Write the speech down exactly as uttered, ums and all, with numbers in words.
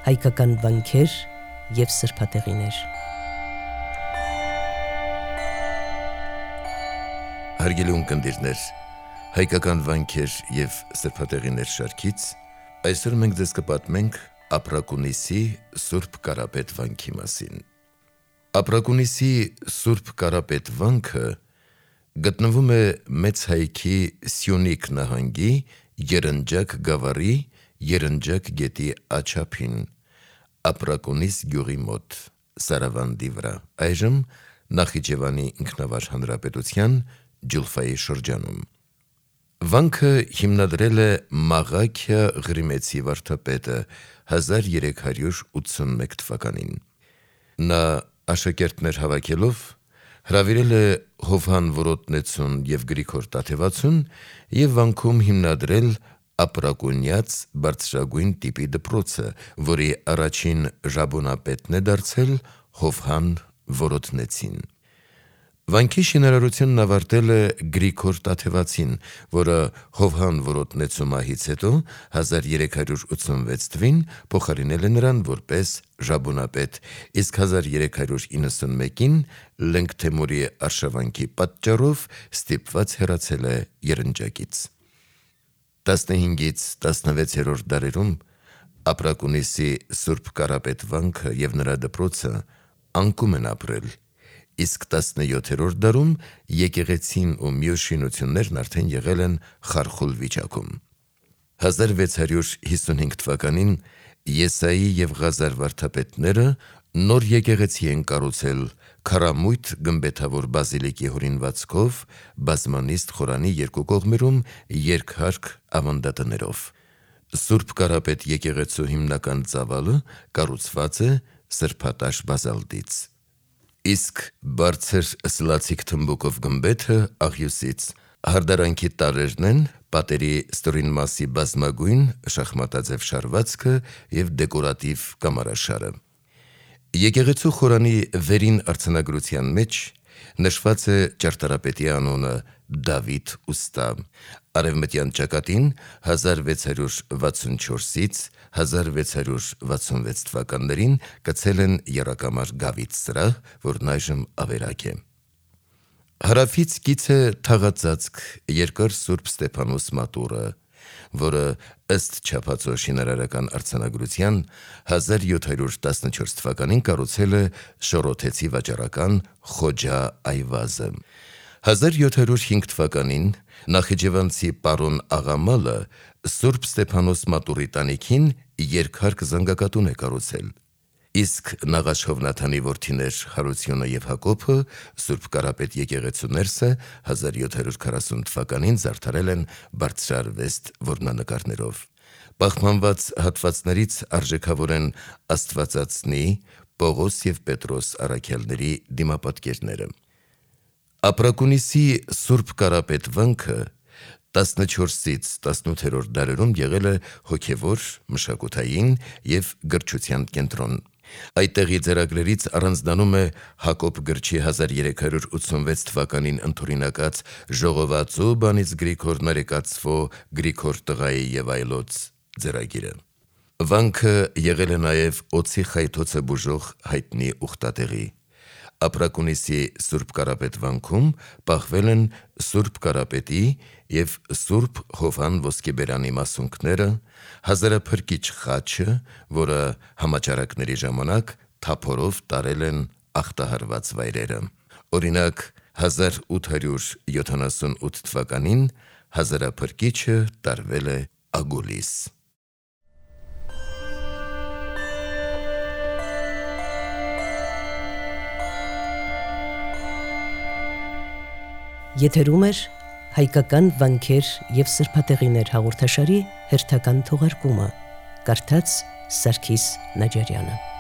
հայկական վանքեր և սրբատեղիներ։ Հարգելի ունկնդիրներ, հայկական վանքեր և սրբատեղիներ շարքից այսօր մենք ձեզ կպատմենք Ապրակունիսի Սուրբ Կարապետ վանքի մասին։ Ապրակունիսի Սուրբ Կարապետ վանքը գտնվում է Մեծ Հայքի Սյունիք նահանգի Երնջակ գավառի Երնջակ գետի աջափին, Ապրակունիս գյուղի մոտ, Սարավանդի վրա, այժմ Նախիջևանի ինքնավար հանրապետության Ջուլֆայի շրջանում։ Վանքը հիմնադրել է Մաղաքիա Ղրիմեցի վարդապետը հազար երեք հարյուր ութսունմեկ թվականին։ Նա աշակերտներ հավաքելով հրավիրել է Հովհան Որոտնեցուն և Գրիգոր Տաթևացուն և վանքում հիմնադրել Ապրակունյաց բարձրագույն տիպի դպրոցը, որի առաջին ժամանապետն է դարձել Հովհան Որոտնեցին։ Վանքի շինարարությունն ավարտել է Գրիգոր Տաթևացին, որը Հովհան Որոտնեցու մահից հետո հազար երեք հարյուր ութսունվեց թվականին փոխարինել է նրան որպես ժամանապետ, իսկ հազար երեք հարյուր իննսունմեկին Լենգթեմուրի արշավանքի պատճառով ստիպված հեռացել է Երնջակից։ տասնհինգից տասնվեցերորդ դարերում Ապրակունիսի Սուրբ Կարապետ վանքը և նրա դպրոցը անկում են ապրել, իսկ տասնյոթերորդ դարում եկեղեցին ու մյուս շինություններն արդեն եղել են խարխուլ վիճակում։ հազար վեց հարյուր հիսունհինգ թվականին Եսայի և Ղազար վարդապետները նոր եկեղեցի են կառուցել քառամույթ գմբեթավոր բազիլիկի հորինվածքով, բազմանիստ խորանի երկու կողմերում երկհարկ ավանդատներով։ Սուրբ Կարապետ եկեղեցու հիմնական ծավալը կառուցված է սրբատաշ բազալտից, իսկ բարձր սլացիկ թմբուկով գմբեթը աղյուսից, հարդարանքի տարրերն են պատերի ստորին մասի բազմագույն շախմատաձև շարվածքը և դեկորատիվ կամարաշարը։ Եկեղեցու խորանի վերին արձանագրության մեջ նշված է ճարտարապետի անունը Դավիթ ուստա։ Արևմտյան ճակատին հազար վեց հարյուր վաթսունչորսից հազար վեց հարյուր վաթսունվեց թվականներին կցել են եռակամար գավիթ սրահ, որն այժմ ավերակ է։ Հարավից կից է թաղածածկ երկար Սուրբ Ստեփանոս մատուռը, որը ըստ չափածո շինարարական արձանագրության հազար յոթ հարյուր տասնչորս թվականին կառուցել է շորոթեցի վաճառական Խոջա Այվազը։ հազար յոթ հարյուր հինգ թվականին նախիջևանցի պարոն Աղամալը Սուրբ Ստեփանոս մատուռի տանիքին երկհարկ զանգակատուն է կառուցել, իսկ Նաղաշ Հովնաթանի որդիներ Հարությունը և Հակոբը Սուրբ Կարապետ եկեղեցու ներսը հազար յոթ հարյուր քառասուն թվականին զարդարել են բարձրարվեստ որմնանկարներով։ Պահպանված հատվածներից արժեքավոր են Աստվածածնի, Պողոս և Պետրոս առաքյալների դիմապատկերները։ Ապրակունիսի Սուրբ Կարապետ վանքը տասնչորսից տասնութերորդ դարերում եղել է հոգևոր, մշակութային և գրչության կենտրոն։ Այդտեղի ձեռագրերից առանձնանում է Հակոբ գրչի հազար երեք հարյուր ութսունվեց թվականին ընդօրինակած Ժողովածու բանից Գրիգոր Նարեկացվո Գրիգոր տղայի և այլոց ձեռագիրը։ Վանքը եղել է նաև օձի խայթոցը բուժող հայտնի ուխտատեղի։ Ապրակունիսի Սուրբ Կարապետ վանքում պահվել են Սուրբ Կարապետի և Սուրբ Հովհան ոսկեբերանի մասունքները, հազարափրկիչ խաչը, որը համաճարակների ժամանակ թափորով տարել են ախտահարված վայրերը։ Օրինակ, հազար ութ հարյուր յոթանասունութ թվականին հազարափրկիչը տարվել է Ագուլիս։ Եթերում էր հայկական վանքեր և սրբատեղիներ հաղորդաշարի հերթական թողարկումը, կարդաց Սարգիս Նաջարյանը։